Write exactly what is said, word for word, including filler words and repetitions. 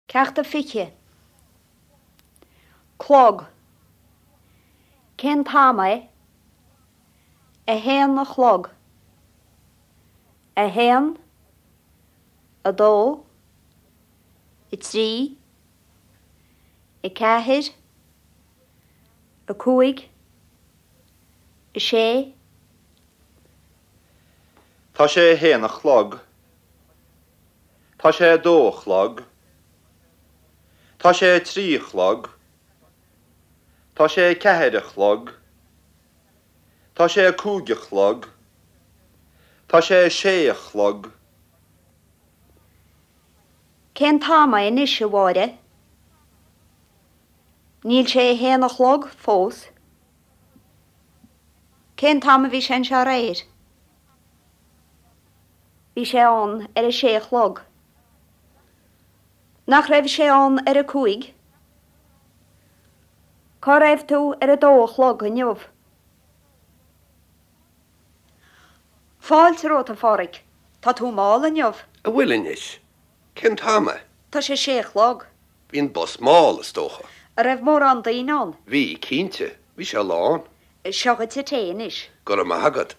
Ceacht a fiche. Clog. Cén t-am é? A haon a chlog. A haon, a dó, a trí, a ceathair, a cúig, a sé, Tá sé a haon a chlog. Tá sé a dó a chlog. Tá sé a trí a chlog. Tá sé a ceathair a chlog. Tá sé a cúig a chlog. Tá sé a sé a chlog. Cén t-am é anois a Mháire? Níl sé a haon a chlog fós. Cén t-am a bhí sé anseo aréir? Bhí sé ann ar a sé a chlog. Nach raibh sé ann ar a cúig? Cá raibh tú ar a dó a chlog inniu? Fáilte romhat a Phádraig, Tá tú mall inniu. An bhfuil anois? Cén t-am é? Tá sé sé a chlog. Bhí an bus mall is dócha. An raibh mórán daoine ann. Bhí cinnte, bhí sé lán. Seo duit an tae anois. Go raibh maith agat.